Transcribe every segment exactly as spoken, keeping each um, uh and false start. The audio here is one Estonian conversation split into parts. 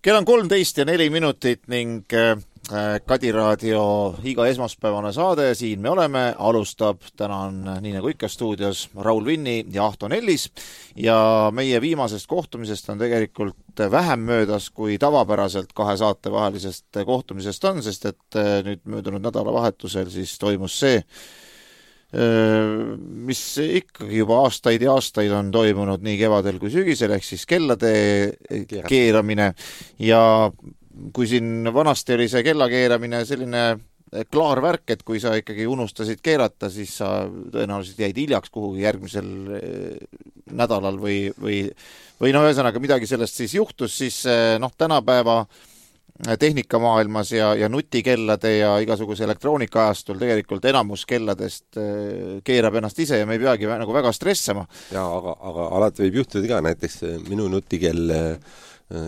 Kell on kolmteist ja neli minutit ning Kadi Raadio iga esmaspäevane saade, siin me oleme, alustab, täna on nii nagu ikka stuudios Raul Vinni ja Ahto Nellis ja meie viimasest kohtumisest on tegelikult vähem möödas kui tavapäraselt kahe saate vahelisest kohtumisest on, sest et nüüd möödunud nädalavahetusel siis toimus see, mis ikkagi juba aastaid ja aastaid on toimunud nii kevadel kui sügisel, ehk siis kellade keeramine ja kui siin vanasti oli see kella keeramine selline klaar värk, et kui sa ikkagi unustasid keerata, siis sa tõenäoliselt jäid hiljaks kuhugi järgmisel nädalal või, või, või no ühesõnaga midagi sellest siis juhtus, siis noh, tänapäeva tehnikamaailmas ja, ja nutikellade ja igasuguse elektroonikaajastul tegelikult enamus kelladest keerab ennast ise ja me ei peagi nagu väga stressama. Ja, aga, aga alati võib juhtuda ka, näiteks minu nutikell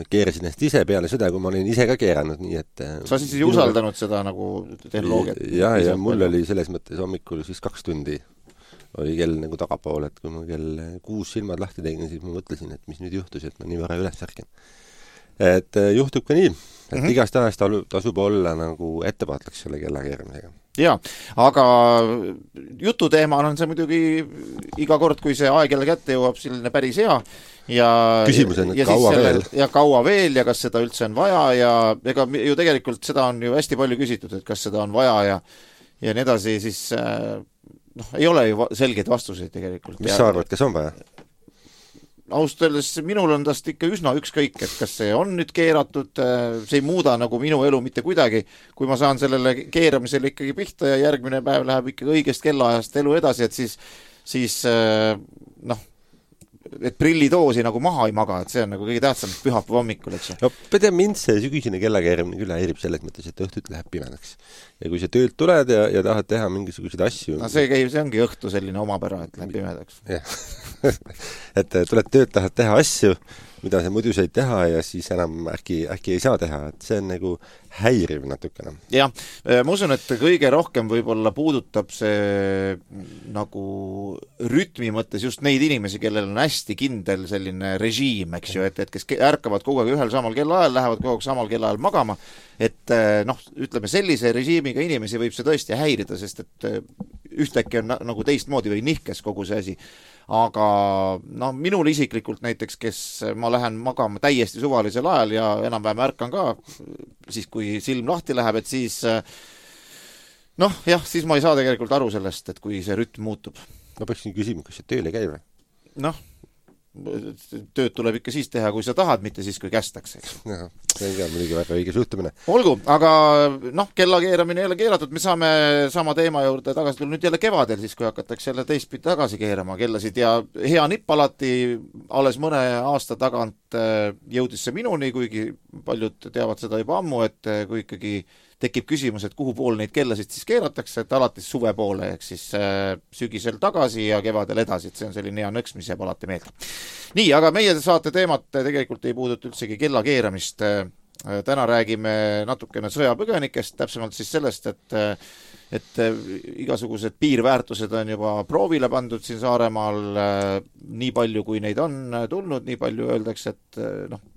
keerasin ennast ise peale seda, kui ma olin ise ka keeranud, nii et... Sa siis ei usaldanud seda nagu tehnoloogiat? Ja, ja mul oli selles mõttes hommikul siis kaks tundi oli kell nagu tagapool, et kui ma kell kuus silmad lahti tegin, siis ma mõtlesin, et mis nüüd juhtus, et ma nii vara üles ärken. Et juhtub ka nii, et mm-hmm. igast ajast tasub olla nagu ettevaatlaks selle kella keeramisega. Jaa, aga jututeema on see muidugi iga kord, kui see aeg jälle kätte jõuab, selline päris hea. Ja, küsimus on, et ja kaua selle, veel. Ja kaua veel ja kas seda üldse on vaja ja ega ju tegelikult seda on ju hästi palju küsitud, et kas seda on vaja ja, ja nii edasi, siis noh, ei ole ju selgeid vastuseid tegelikult. Mis sa arvad, kas on vaja? Ausalt öeldes minul on tast ikka üsna ükskõik, et kas see on nüüd keeratud, see ei muuda nagu minu elu mitte kuidagi, kui ma saan sellele keeramisele ikkagi pihta ja järgmine päev läheb ikkagi õigest kellaajast elu edasi, et siis, siis noh, et prillidoosi nagu maha ei maga, et see on nagu kõige tähtsam pühapäeva hommikul, eks. No, pede mind see sügisene kellakeerimine küll häirib selles mõttes, et õhtut läheb pimedaks. Ja kui sa töölt tuled ja, ja tahad teha mingisuguseid asju... No see, käib, see ongi õhtu selline omapära, et läheb pimedaks. et tuled tööd, tahad teha asju, mida sa muidu said teha ja siis enam äkki, äkki ei saa teha, et see on nagu häiriv natukene. Jah, ma usun, et kõige rohkem võib-olla puudutab see nagu rütmi mõttes just neid inimesi, kellel on hästi kindel selline režiim, eks ju, et, et kes ärkavad kogu aeg ühel samal kellaajal, lähevad kogu aeg samal kellaajal magama, et noh, ütleme sellise režiimiga inimesi võib see tõesti häirida, sest et ühtäkki on nagu teistmoodi või nihkes kogu see asi. Aga no, minul isiklikult näiteks, kes ma lähen magama täiesti suvalisel ajal ja enam-vähem ärkan ka, siis kui silm lahti läheb, et siis noh, jah, siis ma ei saa tegelikult aru sellest, et kui see rütm muutub. Ma peaksin küsima, kas see tööle käib? Noh, tööd tuleb ikka siis teha, kui sa tahad, mitte siis, kui kästakse. No, see on ka muidugi väga õige suhtumine. Olgu, aga noh, kella keeramine ei ole keeratud, me saame sama teema juurde tagasi tulla nüüd jälle kevadel, siis kui hakatakse jälle teistpidi tagasi keerama kellasid ja hea nipp alati alles mõne aasta tagant jõudis see minuni, kuigi paljud teavad seda juba ammu, et kui ikkagi tekib küsimus, et kuhu pool neid kellasid siis keeratakse, et alati suve poole, ehk siis sügisel tagasi ja kevadel edasi, et see on selline hea nõks, mis jääb alati meelde. Nii, aga meie saate teemat tegelikult ei puuduta üldsegi kella keeramist. Täna räägime natukene sõjapõgenikest, täpsemalt siis sellest, et, et igasugused piirväärtused on juba proovile pandud siin Saaremaal, nii palju kui neid on tulnud, nii palju öeldakse, et noh,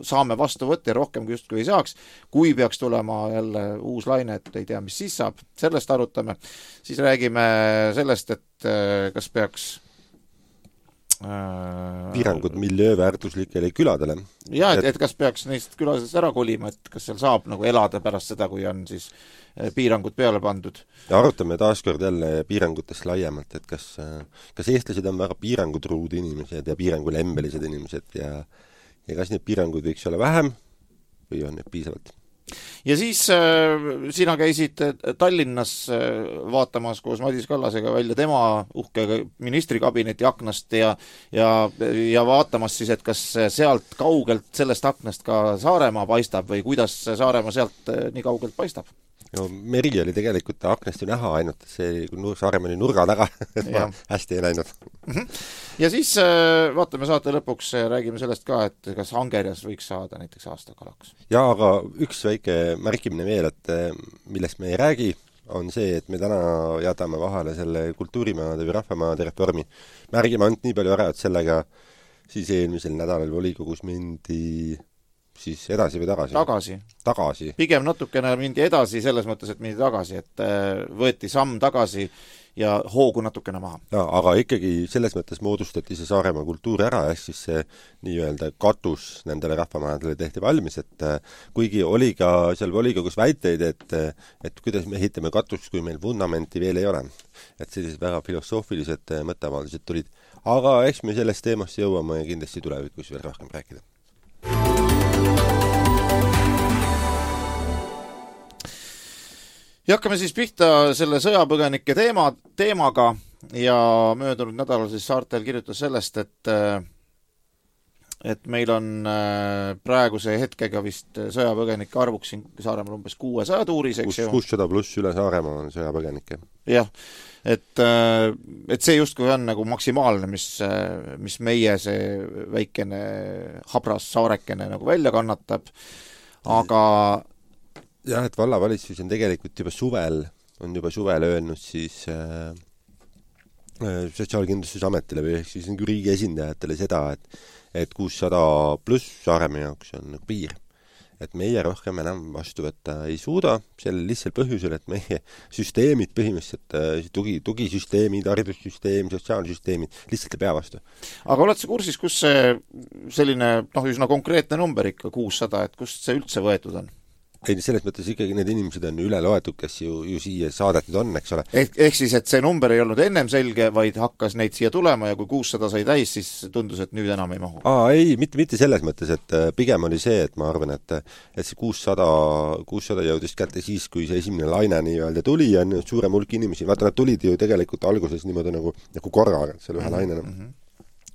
saame vastu võtta ja rohkem kui justkui ei saaks. Kui peaks tulema jälle uus laine, et ei tea, mis siis saab, sellest arutame. Siis räägime sellest, et kas peaks piirangud miljööväärtuslikele küladele. Ja, et, et kas peaks neist külasest ära kolima, et kas seal saab nagu elada pärast seda, kui on siis piirangud peale pandud. Ja arutame taaskord jälle piirangutest laiemalt, et kas, kas eestlased on väga piirangutruud inimesed ja piirangulembelised inimesed ja ja kas need piirangud võiks olla vähem või on need piisavalt? Ja siis äh, sina käisid Tallinnas äh, vaatamas koos Madis Kallasega välja tema uhke ministrikabineti aknast ja, ja, ja vaatamas siis, et kas sealt kaugelt sellest aknast ka Saaremaa paistab või kuidas Saaremaa sealt äh, nii kaugelt paistab? No, meri oli tegelikult aknast ju näha ainult, see Saaremaa oli nurga taga, et ma hästi ei näinud. Ja siis vaatame saate lõpuks, räägime sellest ka, et kas Angerjas võiks saada näiteks aastakalaks. Ja, aga üks väike märkimine veel, et millest me ei räägi, on see, et me täna jätame vahele selle kultuurimaade või rahvamaade reformi. Märgime ainult nii palju ära, et sellega siis eelmisel nädalal volikogus mindi siis edasi või tagasi? Tagasi. Tagasi. Pigem natukene mindi edasi selles mõttes, et mindi tagasi, et võeti samm tagasi ja hoogu natukene maha. Ja, aga ikkagi selles mõttes moodustati see Saaremaa kultuur ära, ehk siis see nii-öelda katus nendele rahvamajadele tehti valmis, et kuigi oli ka seal volikogus väiteid, et, et kuidas me ehitame katust, kui meil vundamenti veel ei ole. Et sellised väga filosoofilised mõtteavaldused tulid. Aga eks me sellest teemast jõuame ja kindlasti tulevikus veel rohkem rääkida. Ja hakkame siis pihta selle sõjapõgenike teema, teemaga ja möödunud nädalal siis Saartel kirjutas sellest, et et meil on praeguse hetkega vist sõjapõgenike arvuks siin Saaremaal umbes kuuesaja tuuris, eks ju. kuussada pluss üle Saaremaa on sõjapõgenike. Jah, et, et see justkui on nagu maksimaalne, mis, mis meie see väikene habras saarekene nagu välja kannatab, aga jah, et vallavalitsus on tegelikult juba suvel, on juba suvel öelnud siis äh, Sotsiaalkindlustusametile või siis nagu riigi esindajatele seda, et, et kuussada pluss Saaremaa jaoks on nagu piir. Et meie rohkem enam vastu võtta ei suuda, sellel lihtsalt põhjusel, et meie süsteemid põhimõtteliselt, tugi, tugisüsteemid, haridussüsteem, sotsiaalsüsteemid lihtsalt ei pea vastu. Aga oled sa kursis, kus see selline noh, üsna konkreetne number ikka kuussada, et kust see üldse võetud on? Ei, selles mõttes ikkagi need inimesed on üle loetud, kes ju, ju siia saadetud on, eks ole. Ehk, ehk siis, et see number ei olnud ennem selge, vaid hakkas neid siia tulema ja kui kuussada sai täis, siis tundus, et nüüd enam ei mahu. Aa, ei, mitte, mitte selles mõttes, et pigem oli see, et ma arvan, et, et see kuussada, kuussada jõudis kätte siis, kui see esimene laine nii-öelda tuli ja suurem hulk inimesi, vaata, nad tulid ju tegelikult alguses niimoodi nagu, nagu korraga, seal ühe mm-hmm. laine nagu.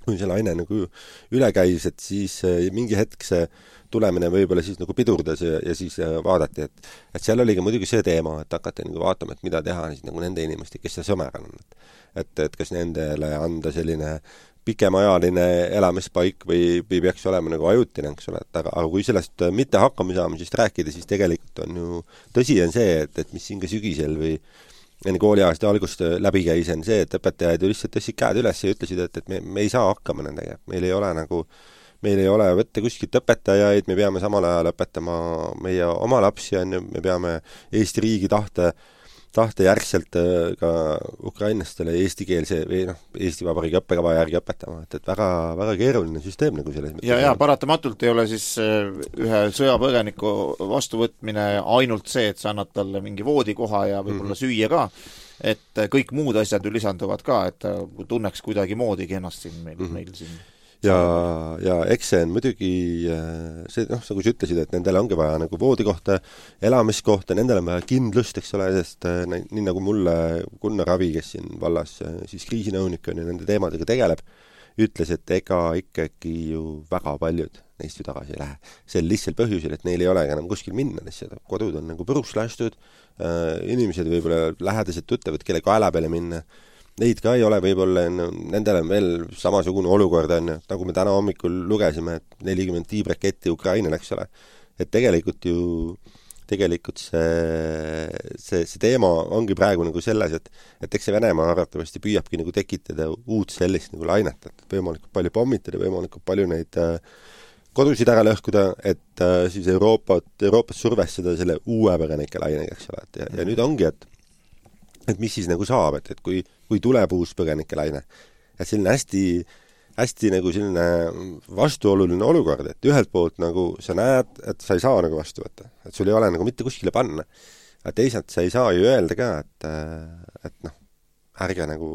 Kui see laine nagu üle käis, et siis mingi hetk see tulemine võib-olla siis nagu pidurdas ja, ja siis vaadati, et, et seal oli ka muidugi see teema, et hakati nagu vaatama, et mida teha siis nagu nende inimeste, kes see sõmer on. Et, et kas nendele anda selline pikemajaline elamispaik või, või peaks olema nagu ajutine, eks ole, et aga, aga kui sellest mitte hakkama saamisest rääkida, siis tegelikult on ju tõsi on see, et, et mis siin ka sügisel või enne kooliaasta algust läbi käis, on see, et õpetajad ju lihtsalt tõstsid käed üles ja ütlesid, et, et me, me ei saa hakkama nendega. Meil ei ole nagu, meil ei ole võtta kuskilt õpetajaid, me peame samal ajal õpetama meie oma lapsi, me peame Eesti riigi tahte, tahte järgselt ka ukrainlastele eestikeelse või noh, Eesti Vabariigi õppekava järgi õpetama, et, et väga, väga keeruline süsteem nagu selles mõttes. Ja, ja paratamatult ei ole siis ühe sõjapõgeniku vastuvõtmine ainult see, et sa annad talle mingi voodikoha ja võib-olla mm-hmm. süüa ka, et kõik muud asjad ju lisanduvad ka, et ta tunneks kuidagi moodigi ennast siin meil, mm-hmm. meil siin. Ja, ja eks see on muidugi see, noh, nagu sa ütlesid, et nendele ongi vaja nagu voodikohta, elamiskohta, nendele on vaja kindlust, eks ole, sest nii nagu mulle Gunnar Ravi, kes siin vallas siis kriisinõunik on ja nende teemadega tegeleb, ütles, et ega ikkagi ju väga paljud neist ju tagasi ei lähe. See on lihtsalt põhjusel, et neil ei ole enam kuskil minna, lihtsalt kodud on nagu põruks lastud, inimesed võib-olla lähedased tuttavad, kelle kaela peale minna, neid ka ei ole võib-olla, nendel on veel samasugune olukord, on, nagu me täna hommikul lugesime, et nelikümmend tiibraketti Ukrainale, eks ole. Et tegelikult ju, tegelikult see, see, see teema ongi praegu nagu selles, et, et eks see Venemaa arvatavasti püüabki nagu tekitada uut sellist nagu lainet, et võimalikult palju pommitada, võimalikult palju neid kodusid ära lõhkuda, et siis Euroopat, Euroopas survestada selle uue põgenike lainega, eks ole. Ja, ja nüüd ongi, et et mis siis nagu saab, et, et kui, kui tuleb uus põgenike laine. Et selline hästi, hästi nagu selline vastuoluline olukord, et ühelt poolt nagu sa näed, et sa ei saa nagu vastu võtta. Et sul ei ole nagu mitte kuskile panna. Aga teisalt sa ei saa ju öelda ka, et, et noh, ärge nagu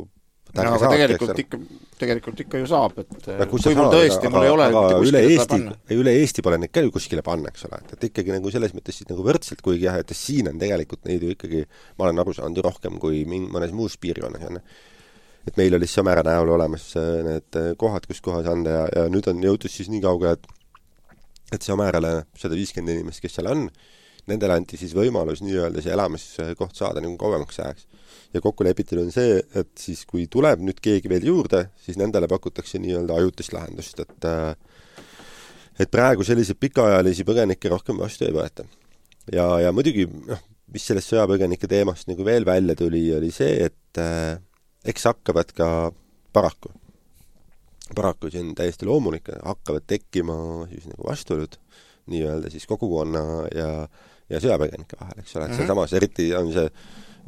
no, aga saab, tegelikult, ikka, tegelikult ikka ju saab, et ja, kui, kui mul tõesti, mul ei ole aga üle Eesti, üle Eesti pole neid ka ju kuskile panna, eks ole, et, et ikkagi nagu selles mõttes siis nagu võrdselt, kuigi jah, et siin on tegelikult neid ju ikkagi, ma olen aru saanud ju rohkem kui ming, mõnes muus piirkonnas on. Et meil oli Sõmera näol olemas need kohad, kus kohas anda ja, ja nüüd on jõutud siis nii kauge, et et Sõmerale sada viiskümmend inimest, kes seal on, nendele anti siis võimalus nii-öelda see elamiskoht saada nagu kauemaks ajaks. Ja kokku lepitud on see, et siis kui tuleb nüüd keegi veel juurde, siis nendele pakutakse nii-öelda ajutist lahendust, et, et praegu selliseid pikaajalisi põgenikke rohkem vastu ei võeta. Ja, ja muidugi, noh, mis sellest sõjapõgenike teemast nagu veel välja tuli, oli see, et äh, eks hakkavad ka paraku, paraku see on täiesti loomulik, hakkavad tekkima siis nagu vastuolud nii-öelda siis kogukonna ja, ja sõjapõgenike vahel, eks ole, et mm-hmm. sealsamas eriti on see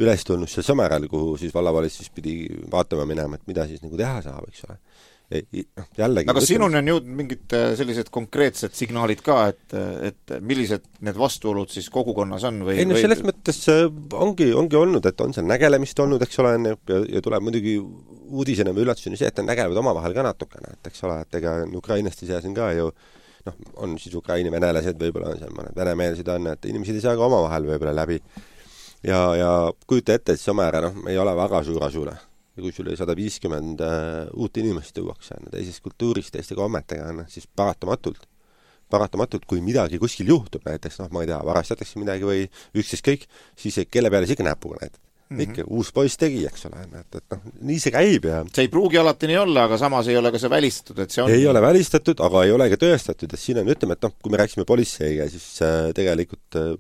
üles tulnud seal Sõmeral, kuhu siis vallavalitsus pidi vaatama minema, et mida siis nagu teha saab, eks ole. No, jällegi, aga sinuni on jõudnud mingid sellised konkreetsed signaalid ka, et, et millised need vastuolud siis kogukonnas on? Või, ei no selles või... mõttes ongi, ongi olnud, et on seal nägelemist olnud, eks ole, ja, ja tuleb muidugi uudisena või üllatuseni see, et on nägelevad omavahel ka natukene, et eks ole, et ega ukrainlaste seas on ka ju noh, on siis Ukraini venelased, võib-olla on seal mõned venemeelsed on, et inimesed ei saa ka omavahel võib-olla läbi ja, ja kujuta ette, et Sõmera noh, ei ole väga suur asule ja kui sul sada viiskümmend uh, uut inimest tuuakse teisest kultuurist, teiste kommetega, siis paratamatult, paratamatult, kui midagi kuskil juhtub, näiteks, noh, ma ei tea, varastatakse midagi või üksteist kõik, siis kelle peale siga näpuga näitad. Mm-hmm. Ikka uus poiss tegi, eks ole, et, et noh, nii see käib ja see ei pruugi alati nii olla, aga samas ei ole ka see välistatud, et see on ei ole välistatud, aga ei ole ka tõestatud, et siin on, ütleme, et noh, kui me rääksime politseiga, siis äh, tegelikult äh,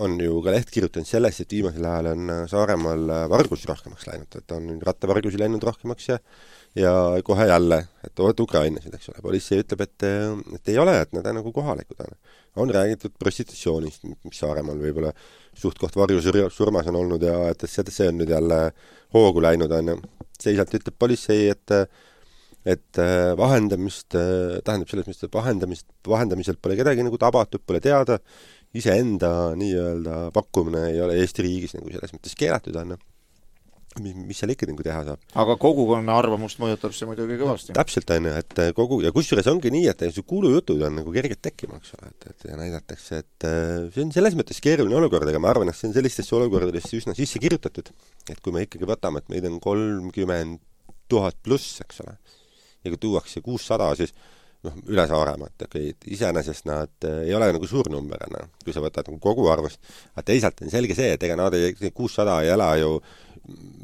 on ju ka leht kirjutanud sellest, et viimasel ajal on Saaremaal vargus rohkemaks läinud, et on rattavargusi läinud rohkemaks ja, ja kohe jälle, et oot Ukrainasid, eks ole. Politsei ütleb, et, et ei ole, et nad on nagu kohalikud. On räägitud prostitutsioonist, mis Saaremaal võib-olla suhtkoht varjusurmas on olnud ja et see on nüüd jälle hoogu läinud. On. Seisalt ütleb politsei, et et vahendamist, tähendab selles mõttes, et vahendamist, vahendamiselt pole kedagi nagu tabatud, pole teada, iseenda nii-öelda pakkumine ei ole Eesti riigis nagu selles mõttes keelatud on. Mis, mis seal ikka nagu teha saab. Aga kogukonna arvamust mõjutab see muidugi kõvasti. No, täpselt on, et kogu, ja kusjuures ongi nii, et see kuulujutud on nagu kergelt tekkima, eks ole, et, et ja näidatakse, et see on selles mõttes keeruline olukord, aga ma arvan, et see on sellistesse olukordadesse üsna sisse kirjutatud, et kui me ikkagi võtame, et meid on kolmkümmend tuhat pluss, eks ole, ja kui tuuakse kuussada, siis noh, üle Saaremaa, et okay, iseenesest nad ei ole nagu suur number, no, kui sa võtad nagu kogu arvust, aga teisalt on selge see, et ega nad ei, kuussada ei ela ju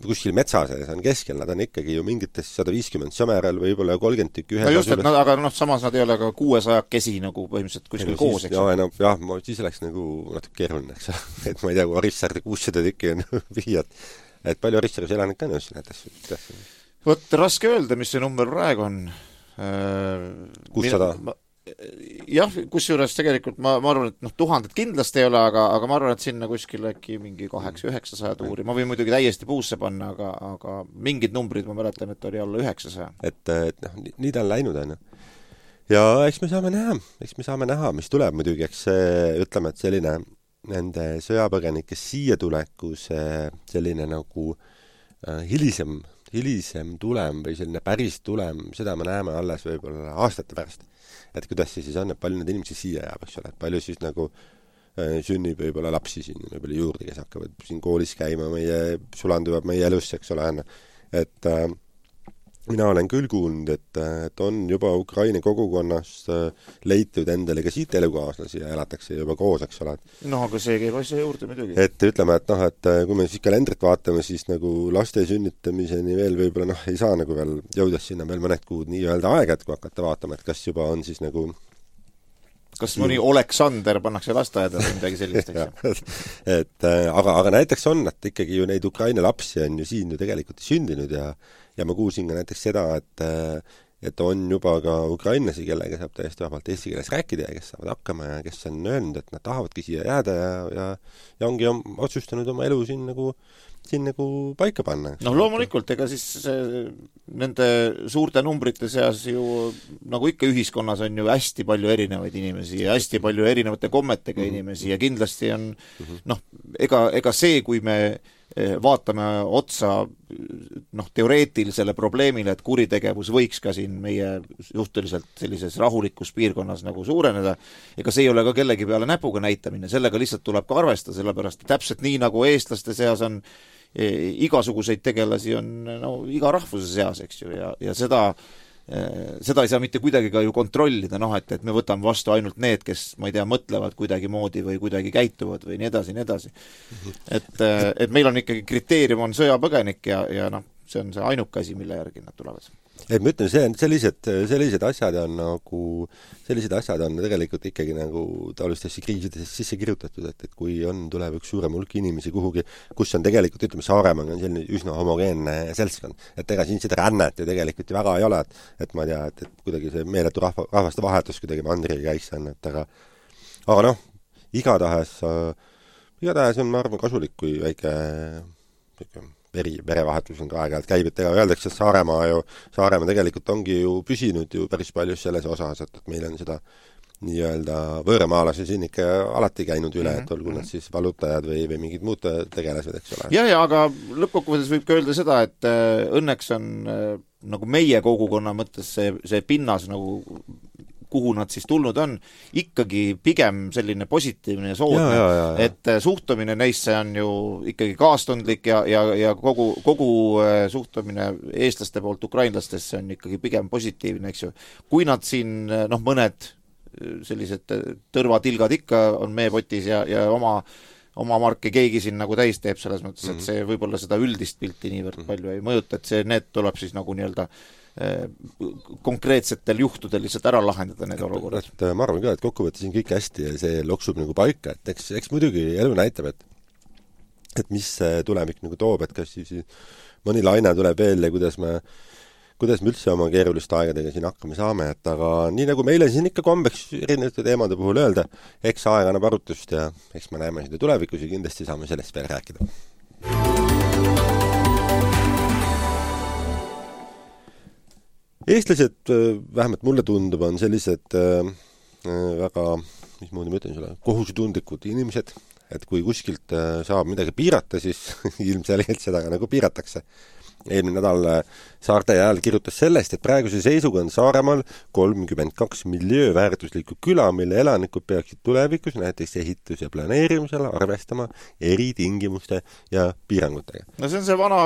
kuskil metsa sees on keskel, nad on ikkagi ju mingites sada viiskümmend Sõmeral võib-olla kolmkümmend tükki ühe no just, et nad, aga noh, samas nad ei ole ka kuuesaja kesi nagu põhimõtteliselt kuskil no, koos, eks jah, no, jah, siis oleks nagu natuke keeruline, eks et ma ei tea, kui Orissaarde kuussada tükki on viiad, et palju Orissaares elanik on just näiteks. Vot, raske öelda, mis see number praegu on. kuussada jah, kusjuures tegelikult ma, ma arvan, et noh, tuhanded kindlasti ei ole, aga, aga ma arvan, et sinna kuskil äkki mingi kaheksa üheksasaja tuuri. Ma võin muidugi täiesti puusse panna, aga, aga mingid numbrid ma mäletan, et oli alla üheksasaja. Et, et noh, nii ta on läinud, on. Ja eks me saame näha, eks me saame näha, mis tuleb muidugi, eks ütleme, et selline nende sõjapõgenike siia tuleku see selline nagu äh, hilisem, hilisem tulem või selline päris tulem, seda me näeme alles võib-olla aastate pärast. Et kuidas see siis on, et palju need inimesi siia jääb, eks ole, et palju siis nagu äh, sünnib võib-olla lapsi siin võib-olla juurde, kes hakkavad siin koolis käima, meie, sulanduvad meie elusse, eks ole, et äh, mina olen küll kuulnud, et, et on juba Ukraina kogukonnas äh, leitud endale ka siit elukaaslasi ja elatakse juba koos, eks ole. No, aga see käib asja juurde muidugi. Et ütleme, et noh, et kui me siis kalendrit vaatame, siis nagu laste sünnitamiseni veel võib-olla noh, ei saa nagu veel jõuda sinna veel mõned kuud nii-öelda aega, et kui hakata vaatama, et kas juba on siis nagu kas mõni Oleksander pannakse lasteaeda või midagi sellist, eks? et aga, aga näiteks on, et ikkagi ju neid Ukraina lapsi on ju siin ju tegelikult sündinud ja ja ma kuulsin ka näiteks seda, et et on juba ka ukrainlasi, kellega saab täiesti vabalt eesti keeles rääkida ja kes saavad hakkama ja kes on öelnud, et nad tahavadki siia jääda ja, ja, ja ongi om, otsustanud oma elu siin nagu, siin nagu paika panna. No loomulikult, ega siis see, nende suurte numbrite seas ju nagu ikka ühiskonnas on ju hästi palju erinevaid inimesi ja hästi palju erinevate kommetega mm-hmm. inimesi ja kindlasti on mm-hmm. noh, ega, ega see, kui me vaatame otsa noh, teoreetilisele probleemile, et kuritegevus võiks ka siin meie suhteliselt sellises rahulikus piirkonnas nagu suureneda, ega see ei ole ka kellegi peale näpuga näitamine, sellega lihtsalt tuleb ka arvestada, sellepärast täpselt nii nagu eestlaste seas on e, igasuguseid tegelasi on no, iga rahvuse seas, eks ju, ja, ja seda seda ei saa mitte kuidagi ka ju kontrollida, noh, et, et me võtame vastu ainult need, kes, ma ei tea, mõtlevad kuidagi moodi või kuidagi käituvad või nii edasi, nii edasi. Et, et meil on ikkagi kriteerium on sõjapõgenik ja, ja noh, see on see ainuke asi, mille järgi nad tulevad. Et ma ütlen, see on sellised, sellised asjad on nagu, sellised asjad on tegelikult ikkagi nagu taolistesse kriisidesse sisse kirjutatud, et, et kui on, tuleb üks suurem hulk inimesi kuhugi, kus on tegelikult, ütleme, Saaremaa on selline üsna homogeenne seltskond, et ega siin seda rännet ju tegelikult ju väga ei ole, et, et ma ei tea, et, et kuidagi see meeletu rahva, rahvaste vahetus kuidagi mandriga käiks on, et aga aga noh, igatahes, igatahes on, ma arvan, kasulik, kui väike veri, verevahetus on ka aeg-ajalt käib, et ega öeldakse, et Saaremaa ju, Saaremaa tegelikult ongi ju püsinud ju päris palju selles osas, et, et meil on seda nii-öelda võõramaalase siin ikka alati käinud üle, et olgu nad siis valutajad või, või mingid muud tegelased, eks ole. Ja, ja, aga lõppkokkuvõttes võib ka öelda seda, et õnneks on nagu meie kogukonna mõttes see, see pinnas nagu kuhu nad siis tulnud on, ikkagi pigem selline positiivne ja soodne, ja, ja, ja. et suhtumine neisse on ju ikkagi kaastundlik ja, ja, ja kogu, kogu suhtumine eestlaste poolt ukrainlastesse on ikkagi pigem positiivne, eks ju. Kui nad siin, noh, mõned sellised tõrvatilgad ikka on meepotis ja, ja oma, oma marki keegi siin nagu täis teeb selles mõttes, et see võib-olla seda üldist pilti niivõrd palju ei mõjuta, et see, need tuleb siis nagu nii-öelda konkreetsetel juhtudel lihtsalt ära lahendada need olukorrad. Et, ma arvan ka, et kokkuvõttes on kõik hästi ja see loksub nagu paika, et eks, eks muidugi elu näitab, et et mis tulevik nagu toob, et kas siis mõni laine tuleb veel ja kuidas me kuidas me üldse oma keeruliste aegadega siin hakkama saame, et aga nii nagu meile siin ikka kombeks erinevate teemade puhul öelda, eks aeg annab arutust ja eks me näeme seda tulevikus ja kindlasti saame sellest veel rääkida. Eestlased, vähemalt mulle tundub, on sellised äh, väga, mismoodi ma ütlen sulle, kohusutundlikud inimesed, et kui kuskilt äh, saab midagi piirata, siis ilmselgelt seda ka nagu piiratakse. Eelmine nädal Saarte Ajal kirjutas sellest, et praeguse seisuga on Saaremaal kolmkümmend kaks miljööväärtuslikku küla, mille elanikud peaksid tulevikus näiteks ehitus- ja planeerimisel arvestama eri tingimuste ja piirangutega. No see on see vana,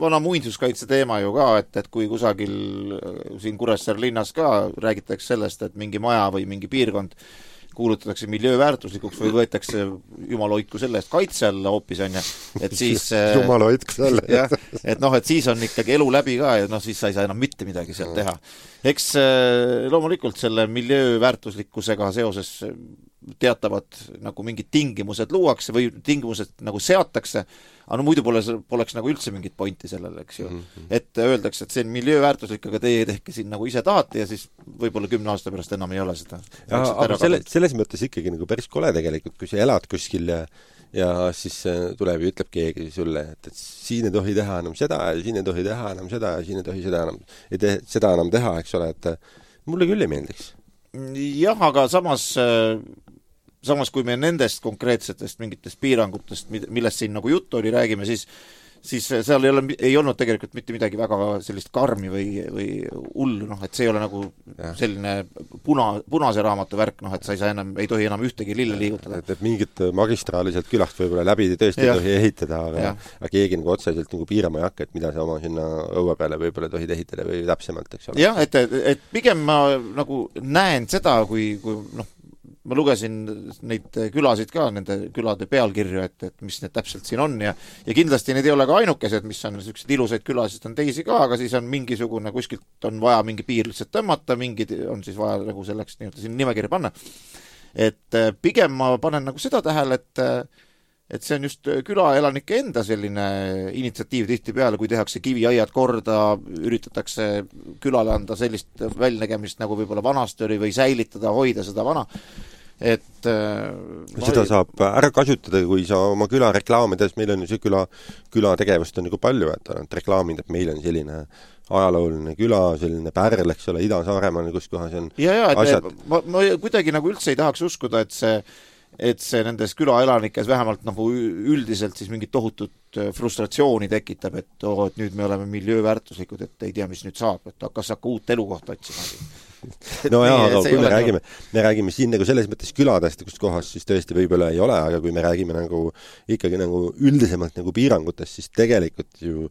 vana muinsuskaitse teema ju ka, et, et kui kusagil siin Kuressaare linnas ka räägitakse sellest, et mingi maja või mingi piirkond kuulutatakse miljööväärtuslikuks või võetakse jumaloitku selle eest kaitse alla hoopis on ja, et siis jumaloitku selle jah, et noh, et siis on ikkagi elu läbi ka ja noh, siis sa ei saa enam mitte midagi sealt teha. Eks loomulikult selle miljööväärtuslikkusega seoses teatavad nagu mingid tingimused luuakse või tingimused nagu seatakse, aga no muidu pole, poleks nagu üldse mingit pointi sellele, eks ju. Mm-hmm. Et öeldakse, et see on miljööväärtuslik, aga teie tehke siin nagu ise tahate ja siis võib-olla kümne aasta pärast enam ei ole seda. Ja, aga selle, selles mõttes ikkagi nagu päris kole tegelikult, kui sa elad kuskil ja, ja siis tuleb ja ütleb keegi sulle, et, et siin ei tohi teha enam seda ja siin ei tohi teha enam seda ja siin ei tohi seda enam, ei te, seda enam teha, eks ole, et mulle küll ei meeldiks. Jah, aga samas samas kui me nendest konkreetsetest mingitest piirangutest, millest siin nagu juttu oli, räägime, siis, siis seal ei, ole, ei olnud tegelikult mitte midagi väga sellist karmi või, või hullu, noh, et see ei ole nagu ja. Selline puna, punase raamatu värk, noh, et sa ei saa enam, ei tohi enam ühtegi lille liigutada. Et, et mingit magistraali sealt külast võib-olla läbi tõesti ja. Ei tohi ehitada, aga, aga keegi nagu otseselt nagu piirama ei hakka, et mida sa oma sinna õue peale võib-olla tohid ehitada või täpsemalt, eks ole. Jah, et, et pigem ma nagu näen seda, kui, kui noh, ma lugesin neid külasid ka, nende külade pealkirju, et, et mis need täpselt siin on ja, ja kindlasti need ei ole ka ainukesed, mis on sellised ilusaid külasid, on teisi ka, aga siis on mingisugune, kuskilt on vaja mingi piir lihtsalt tõmmata, mingid on siis vaja nagu selleks nii-öelda siin nimekirja panna. Et pigem ma panen nagu seda tähele, et et see on just külaelanike enda selline initsiatiiv tihti peale, kui tehakse kiviaiad korda, üritatakse külale anda sellist väljnägemist nagu võib-olla vanasti oli või säilitada, hoida seda vana. Et seda ma... saab ära kasutada, kui sa oma küla reklaamides, meil on ju see küla, küla tegevust on nagu palju, et, et reklaamid, et meil on selline ajalooline küla, selline pärl, eks ole, Ida-Saaremaal, kus kohas on ja, ja, asjad. Ma, ma kuidagi nagu üldse ei tahaks uskuda, et see et see nendes külaelanikes vähemalt nagu üldiselt siis mingit tohutut frustratsiooni tekitab, et, oh, et nüüd me oleme miljööväärtuslikud, et ei tea, mis nüüd saab, et kas hakka uut elukohta otsima. No jaa, aga kui me räägime, me räägime siin nagu selles mõttes küladest, kus kohas siis tõesti võib-olla ei ole, aga kui me räägime nagu ikkagi nagu üldisemalt nagu piirangutest, siis tegelikult ju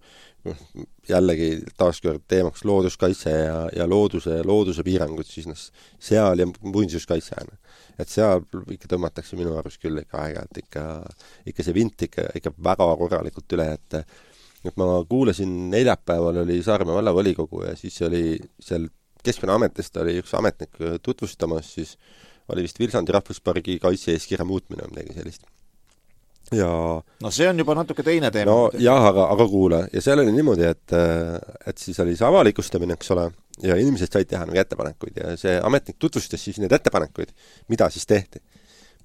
jällegi taaskord teemaks looduskaitse ja, ja looduse, looduse piirangud, siis noh, seal ja muinsuskaitse on. Et seal ikka tõmmatakse minu arust küll ikka aeg-ajalt ikka, ikka see vint ikka, ikka väga korralikult üle, et, et ma kuulasin neljapäeval oli Saaremaa vallavolikogu ja siis oli seal Keskkonnaametist oli üks ametnik tutvustamas, siis oli vist Vilsandi rahvuspargi kaitse-eeskirja muutmine on midagi sellist. Ja no see on juba natuke teine teema. No jah, aga, aga kuule, ja seal oli niimoodi, et, et siis oli see avalikustamine, eks ole, ja inimesed said teha nagu ettepanekuid ja see ametnik tutvustas siis need ettepanekuid, mida siis tehti.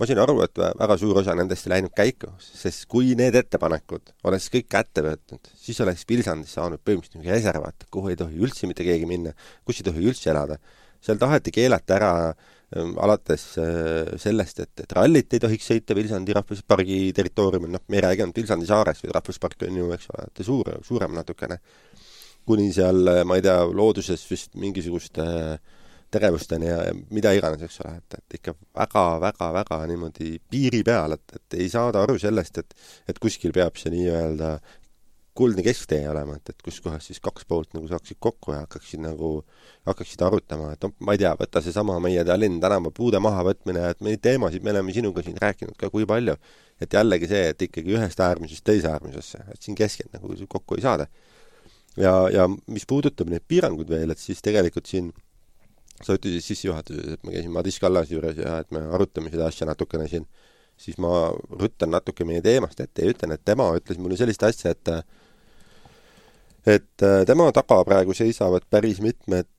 ma sain aru, et väga suur osa nendest ei läinud käiku, sest kui need ettepanekud oleks kõik kätte võtnud, siis oleks Vilsandis saanud põhimõtteliselt mingi reservaat, kuhu ei tohi üldse mitte keegi minna, kus ei tohi üldse elada. Seal taheti keelata ära ähm, alates äh, sellest, et, et rallit ei tohiks sõita Vilsandi rahvuspargi territooriumil, noh, me ei räägi ainult Vilsandi saares, või rahvuspark on ju, eks ole, et suur, suurem natukene. Kuni seal, ma ei tea, looduses vist mingisugust äh, tegevusteni ja mida iganes, eks ole, et, et ikka väga, väga, väga niimoodi piiri peal, et, et ei saada aru sellest, et, et kuskil peab see nii-öelda kuldne kesktee olema, et, et kus kohas siis kaks poolt nagu saaksid kokku ja hakkaksid nagu, hakkaksid arutama, et no, ma ei tea, võtta see sama meie Tallinn tänava puude maha võtmine, et neid teemasid me oleme sinuga siin rääkinud ka kui palju, et jällegi see, et ikkagi ühest äärmusest teise äärmusesse, et siin keskelt nagu kokku ei saada. Ja, ja mis puudutab neid piirangud veel, et siis tegelikult siin sa ütlesid sissejuhatuses, et ma käisin Madis Kallase juures ja et me arutame seda asja natukene siin, siis ma ruttan natuke meie teemast ette ja ütlen, et tema ütles mulle sellist asja, et et tema taga praegu seisavad päris mitmed,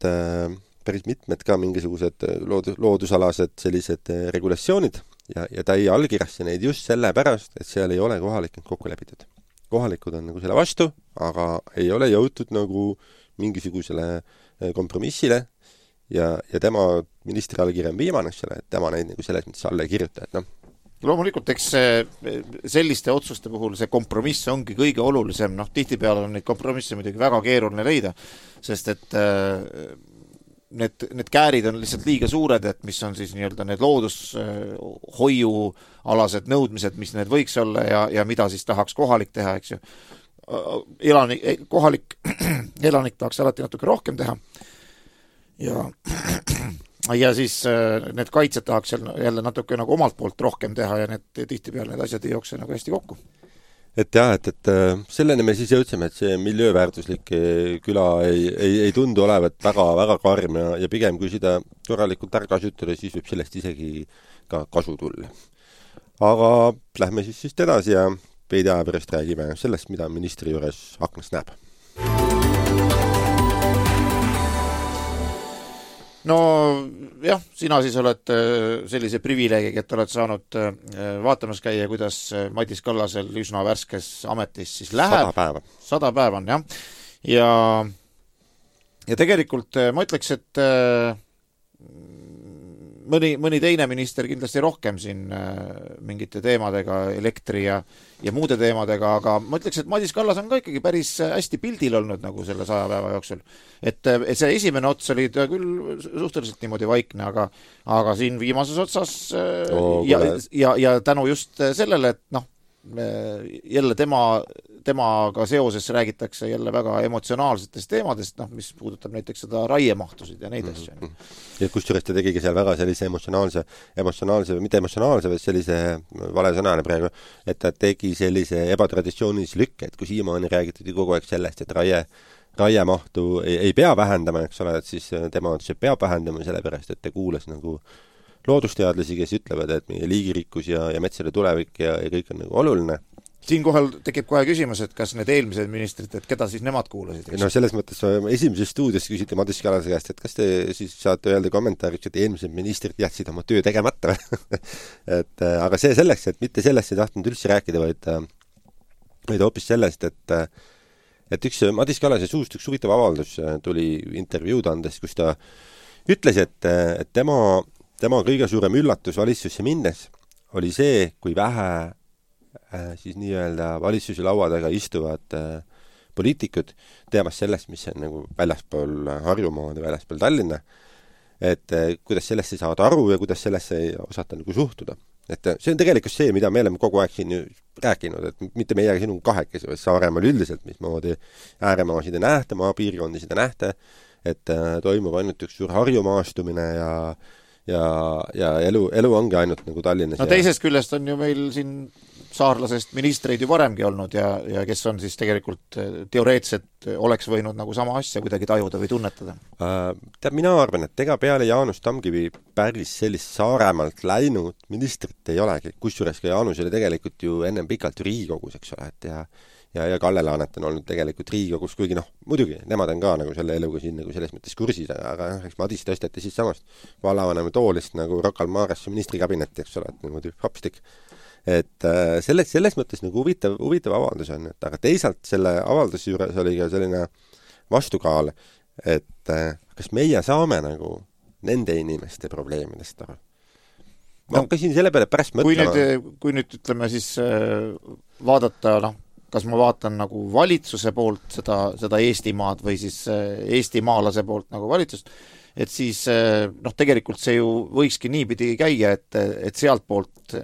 päris mitmed ka mingisugused loodus, loodusalased sellised regulatsioonid ja, ja ta ei allkirjasta neid just selle pärast, et seal ei ole kohalikud kokku lepitud. Kohalikud on nagu selle vastu, aga ei ole jõutud nagu mingisugusele kompromissile, ja, ja tema ministri allkirja on viimane, et tema neid nagu selles mõttes alla ei kirjuta, et noh. Loomulikult, eks selliste otsuste puhul see kompromiss ongi kõige olulisem, noh, tihtipeale on neid kompromisse muidugi väga keeruline leida, sest et need, need käärid on lihtsalt liiga suured, et mis on siis nii-öelda need loodushoiualased nõudmised, mis need võiks olla ja, ja mida siis tahaks kohalik teha, eks ju. Elanik, kohalik elanik tahaks alati natuke rohkem teha. Ja, ja siis need kaitsed tahaks jälle natuke nagu omalt poolt rohkem teha ja need tihtipeale need asjad ei jookse nagu hästi kokku. Et jah, et, et selleni me siis jõudsime, et see miljööväärtuslik küla ei, ei, ei tundu olevat väga, väga karm ja, ja pigem kui seda korralikult ära kasutada, siis võib sellest isegi ka kasu tulla. Aga lähme siis siis edasi ja veidi aja pärast räägime sellest, mida ministri juures aknast näeb. No jah, sina siis oled sellise privileegiga, et oled saanud vaatamas käia, kuidas Madis Kallasel üsna värskes ametis siis läheb. Sada päeva. Sada päeva on, jah. Ja, ja tegelikult ma ütleks, et mõni, mõni teine minister kindlasti rohkem siin mingite teemadega, elektri ja, ja muude teemadega, aga ma ütleks, et Madis Kallas on ka ikkagi päris hästi pildil olnud nagu selle saja päeva jooksul. Et, et see esimene ots oli küll suhteliselt niimoodi vaikne, aga, aga siin viimases otsas oh, ja, ja, ja tänu just sellele, et noh, jälle tema, temaga seoses räägitakse jälle väga emotsionaalsetest teemadest, noh, mis puudutab näiteks seda raiemahtusid ja neid asju. Mm-hmm. Ja kusjuures ta tegigi seal väga sellise emotsionaalse, emotsionaalse, mitte emotsionaalse, vaid sellise vale sõnane praegu, et ta tegi sellise ebatraditsioonilise lükke, et kui siiamaani räägitud kogu aeg sellest, et raie raiemahtu ei, ei pea vähendama, eks ole, et siis tema otsus peab vähendama sellepärast, et ta kuulas nagu loodusteadlasi, kes ütlevad, et meie liigirikkus ja, ja metsade tulevik ja, ja kõik on nagu oluline. Siin kohal tekib kohe küsimus, et kas need eelmised ministrid, et keda siis nemad kuulasid? No selles mõttes esimeses stuudios küsiti Madis Kallase käest, et kas te siis saate öelda kommentaariks, et eelmised ministrid jätsid oma töö tegemata et, aga see selleks, et mitte sellest ei tahtnud üldse rääkida, vaid, vaid hoopis sellest, et et üks Madis Kallase suust üks huvitav avaldus tuli intervjuud andes, kus ta ütles, et, et tema, tema kõige suurem üllatus valitsusse minnes oli see, kui vähe siis nii-öelda valitsuse laua taga istuvad poliitikud teamas sellest, mis on nagu väljaspool Harjumaad ja väljaspool Tallinna, et kuidas sellesse saada aru ja kuidas sellesse ei osata nagu suhtuda. Et see on tegelikult see, mida me oleme kogu aeg siin rääkinud, et mitte meie sinu kahekesi, vaid Saaremaal üldiselt, mismoodi ääremaasid ei nähta, maapiirkondisid ei nähta, et toimub ainult üks suur harjumaastumine ja, ja, ja elu, elu ongi ainult nagu Tallinnas. No teisest ja... küljest on ju meil siin saarlasest ministreid ju varemgi olnud ja, ja kes on siis tegelikult teoreetselt oleks võinud nagu sama asja kuidagi tajuda või tunnetada? Äh, tead, mina arvan, et ega peale Jaanus Tamkivi päris sellist Saaremaalt läinud ministrit ei olegi. Kusjuures ka Jaanus oli tegelikult ju ennem pikalt Riigikogus, eks ole, et ja, ja, ja Kalle Laanet on olnud tegelikult Riigikogus, kuigi noh, muidugi, nemad on ka nagu selle eluga siin nagu selles mõttes kursis, aga eks Madis tõsteti siis samast vallavanema toolist nagu Rocca al Maresse ministrikabinetti, eks ole, et niimoodi hopstik. Et selles, selles mõttes nagu huvitav, huvitav avaldus on, et aga teisalt selle avalduse juures oli ka selline vastukaal, et kas meie saame nagu nende inimeste probleemidest aru. Ma hakkasin selle peale pärast mõtlema. Kui nüüd, kui nüüd ütleme siis vaadata, noh, kas ma vaatan nagu valitsuse poolt seda, seda Eestimaad või siis eestimaalase poolt nagu valitsust, et siis noh, tegelikult see ju võikski niipidi käia, et, et sealt poolt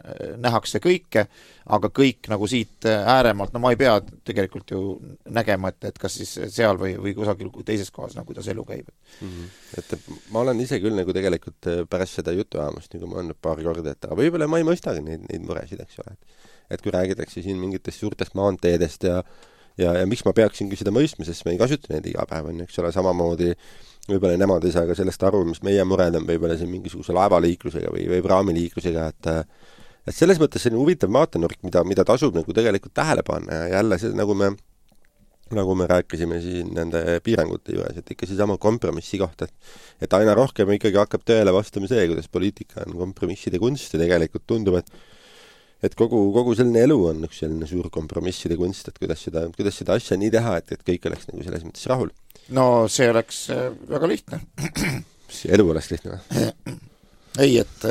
nähakse kõike, aga kõik nagu siit ääremalt, no ma ei pea tegelikult ju nägema, et, et kas siis seal või, või kusagil teises kohas, nagu kuidas elu käib. Mm-hmm. Et ma olen ise küll nagu tegelikult pärast seda jutuajamust, nagu ma olen paar korda, et aga võib-olla ma ei mõistagi neid, neid muresid, eks ole. Et kui räägitakse siin mingitest suurtest maanteedest ja, ja, ja miks ma peaksingi seda mõistma, sest me ei kasuta neid iga päev, on, eks ole, samamoodi võib-olla nemad ei saa ka sellest aru, mis meie mured on võib-olla siin mingisuguse laevaliiklusega või, või praamiliiklusega, et et selles mõttes see on huvitav vaatenurk, mida, mida tasub nagu tegelikult tähele panna ja jälle see, nagu me nagu me rääkisime siin nende piirangute juures, et ikka see sama kompromissi kohta, et et aina rohkem ikkagi hakkab tööle vastama see, kuidas poliitika on kompromisside kunst ja tegelikult tundub, et et kogu, kogu selline elu on üks selline suur kompromisside kunst, et kuidas seda, kuidas seda asja nii teha, et, et kõik oleks nagu selles mõttes rahul. No see oleks väga lihtne. Elu oleks lihtne või? Ei, et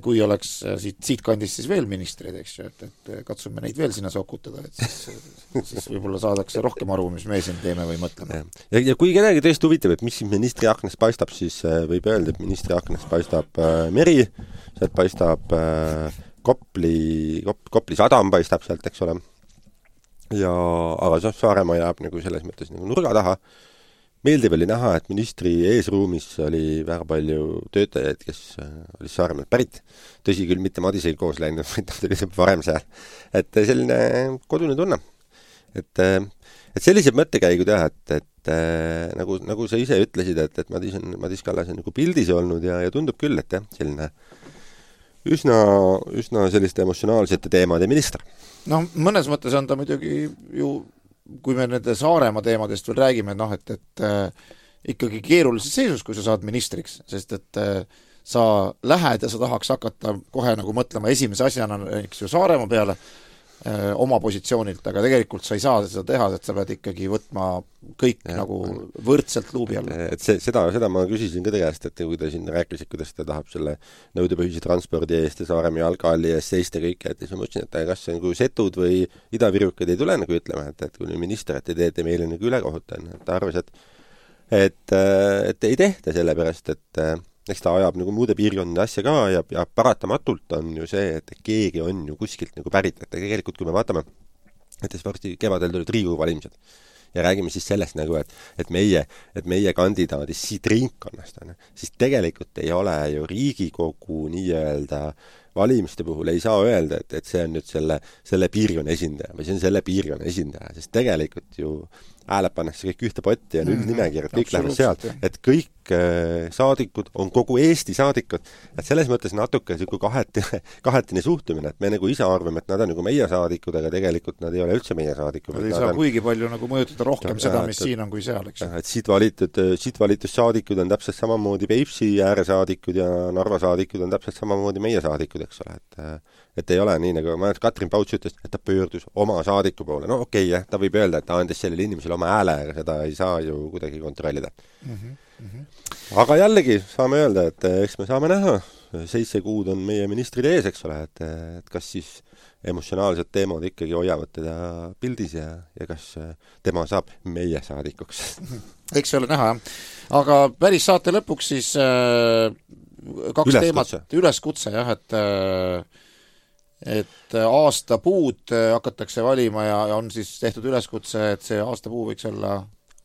kui oleks siit, siit kandis siis veel ministreid, eks ju, et, et katsume neid veel sinna sokutada, et siis, siis võib-olla saadakse rohkem aru, mis me siin teeme või mõtleme. Ja, ja kui kedagi tõesti huvitab, et mis ministri aknast paistab, siis võib öelda, et ministri aknast paistab äh, meri, sealt paistab äh, Kopli, Kop, Kopli sadam paistab sealt, eks ole. Ja, aga Saaremaa jääb nagu selles mõttes nagu nurga taha. Meeldiv oli näha, et ministri eesruumis oli väga palju töötajaid, kes oli Saaremaalt pärit. Tõsi küll, mitte Madisega koos läinud, vaid ta oli varem seal. Et selline kodune tunne. Et, et sellised mõttekäigud jah, et, et nagu, nagu sa ise ütlesid, et, et Madis, on, Madis Kallas on nagu pildis olnud ja, ja tundub küll, et jah, selline üsna, üsna selliste emotsionaalsete teemade minister. No mõnes mõttes on ta muidugi ju, kui me nende Saaremaa teemadest veel räägime, noh, et, et äh, ikkagi keerulises seisus, kui sa saad ministriks, sest et äh, sa lähed ja sa tahaks hakata kohe nagu mõtlema esimese asjana, eks ju, Saaremaa peale äh, oma positsioonilt, aga tegelikult sa ei saa seda teha, et sa pead ikkagi võtma kõik ja, nagu võrdselt luubi alla. Et see, seda, seda ma küsisin ka tegest, et kui ta siin rääkisid, kuidas ta tahab selle nõudepõhise transpordi eest ja Saaremaa jalghalli eest seista kõike, et siis ma mõtlesin, et kas see on kui setud või idavirukad ei tule nagu ütlema, et, et kui minister, et ei teete meile nagu ülekohuta, et ta arvas, et, et, et ei tehta sellepärast, et eks ta ajab nagu muude piirkondade asja ka ja, ja paratamatult on ju see, et keegi on ju kuskilt nagu pärit, et tegelikult kui me vaatame, et varsti kevadel tulid Riigikogu valimised ja räägime siis sellest nagu, et, et meie, et meie kandidaadis siit ringkonnast on, siis tegelikult ei ole ju Riigikogu nii-öelda valimiste puhul ei saa öelda, et, et see on nüüd selle, selle piirkonna esindaja või see on selle piirkonna esindaja, sest tegelikult ju hääled pannakse kõik ühte potti ja nüüd mm, nimekirjad, kõik lähevad sealt, et kõik äh, saadikud on kogu Eesti saadikud, et selles mõttes natuke selline kahetine, kahetine suhtumine, et me nagu ise arvame, et nad on nagu meie saadikud, aga tegelikult nad ei ole üldse meie saadikud. Nad ei saa on... kuigi palju nagu mõjutada rohkem ja, seda, mis et, siin on kui seal, eks. Et siit valitud, siit valitud saadikud on täpselt samamoodi Peipsi ääre saadikud ja Narva saadikud on täpselt samamoodi meie saadikud, eks ole, et et ei ole nii, nagu ma Katrin Pauts ütles, et ta pöördus oma saadiku poole. No okei, okay, ta võib öelda, et ta andis sellele inimesele oma hääle, aga seda ei saa ju kuidagi kontrollida. Mm-hmm. Mm-hmm. Aga jällegi saame öelda, et eks me saame näha, seitse kuud on meie ministrid ees, eks ole, et, et kas siis emotsionaalsed teemad ikkagi hoiavad teda pildis ja, ja kas tema saab meie saadikuks. Eks see ole näha, jah. Aga päris saate lõpuks siis äh, kaks üleskutse. teemat, üleskutse, jah, et äh, et aastapuud hakatakse valima ja on siis tehtud üleskutse, et see aastapuu võiks olla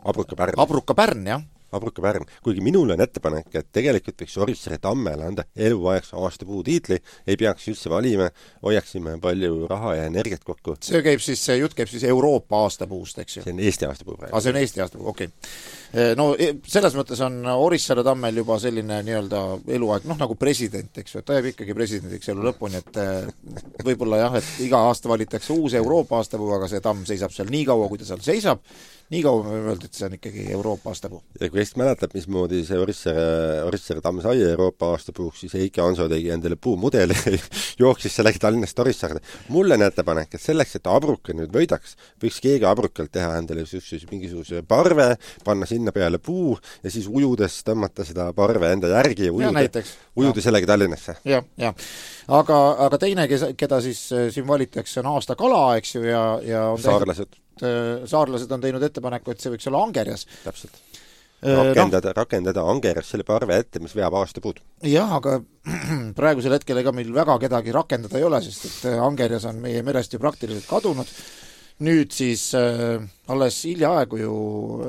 Abruka Pärn. Abruka Pärn, jah. abrukapärm. Kuigi minul on ettepanek, et tegelikult võiks Orissaare tammele anda eluaegse aastapuu tiitli, ei peaks üldse valima, hoiaksime palju raha ja energiat kokku. See käib siis, see jutt käib siis Euroopa aastapuust, eks ju? See on Eesti aastapuu praegu. Ah, see on Eesti aastapuu, okei. Okay. No selles mõttes on Orissaare tammel juba selline nii-öelda eluaeg, noh nagu president, eks ju, et ta jääb ikkagi presidendiks elu lõpuni, et võib-olla jah, et iga aasta valitakse uus Euroopa aastapuu, aga see tamm seisab seal nii kaua, kui ta seal seisab, nii kaua me võime öelda, et see on ikkagi Euroopa aastapuu. Ja kui Eesti mäletab, mismoodi see Orissaare, Orissaare tamm sai Euroopa aastapuuks, siis Heiki Hanso tegi endale puumudeli jooksis sellega Tallinnast Orissaarde. Mulle on ettepanek, et selleks, et abruka nüüd võidaks, võiks keegi abrukalt teha endale mingisuguse parve, panna sinna peale puu ja siis ujudes tõmmata seda parve enda järgi ja ujuda, ja ujuda sellega Tallinnasse. Ja, ja. Aga, aga teine, keda siis siin valitaks, on aasta kala, eks ju, ja, ja on saarlased. Saarlased on teinud ettepaneku, et see võiks olla Angerjas. Täpselt. Rakendada, no, rakendada Angerjas selle parve ette, mis veab aastapuud. Jah, aga praegusel hetkel ega meil väga kedagi rakendada ei ole, sest et Angerjas on meie merest ju praktiliselt kadunud. Nüüd siis äh, alles hiljaaegu ju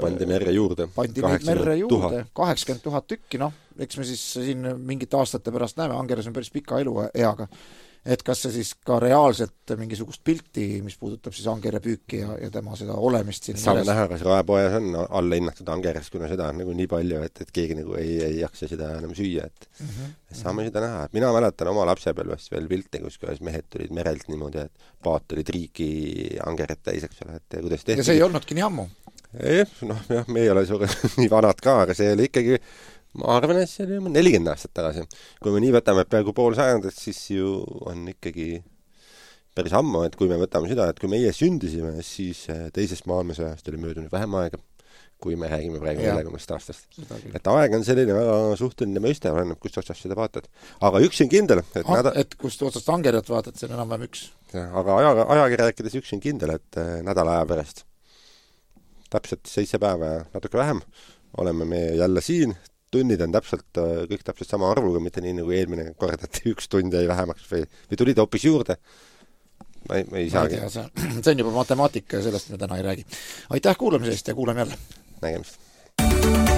pandi merre juurde. Pandi merre juurde. kaheksakümmend tuhat tükki, noh, eks me siis siin mingite aastate pärast näeme, Angerjas on päris pika elu eaga. Et kas see siis ka reaalselt mingisugust pilti, mis puudutab siis Angerja püüki ja, ja tema seda olemist siin saame näha, kas raepojas on alla hinnatud Angerjas, kuna seda on nagu nii palju, et, et keegi nagu ei, ei jaksa seda enam süüa, et mm -hmm. saame seda näha. Mina mäletan oma lapsepõlvest veel pilte, kus kuidas mehed tulid merelt niimoodi, et paat oli triiki Angerjat täis, eks ole, et kuidas tehti. Ja see ei olnudki nii ammu? Ei, noh, jah, me ei ole suure nii vanad ka, aga see oli ikkagi ma arvan, et see oli nelikümmend aastat tagasi. Kui me nii võtame peaaegu pool sajandit, siis ju on ikkagi päris ammu, et kui me võtame seda, et kui meie sündisime, siis teisest maailmasõjast oli möödunud vähem aega, kui me räägime praegu neljakümnest aastast. Et aeg on selline väga suhteline mõiste, oleneb, kust otsast seda vaatad. Aga üks on kindel, et, ah, näda... et kust otsast Angerjat vaatad, see on enam-vähem üks. Ja, aga aja, ajaga rääkides üks on kindel, et nädala aja pärast täpselt seitse päeva ja natuke vähem oleme me jälle siin. Tunnid on täpselt, kõik täpselt sama arvuga, mitte nii nagu eelmine kord, et üks tund jäi vähemaks või, või tulid hoopis juurde. Ma ei, ma ei saagi. Ma ei tea, see, see on juba matemaatika ja sellest me täna ei räägi. Aitäh kuulamisest ja kuuleme jälle. Nägemist.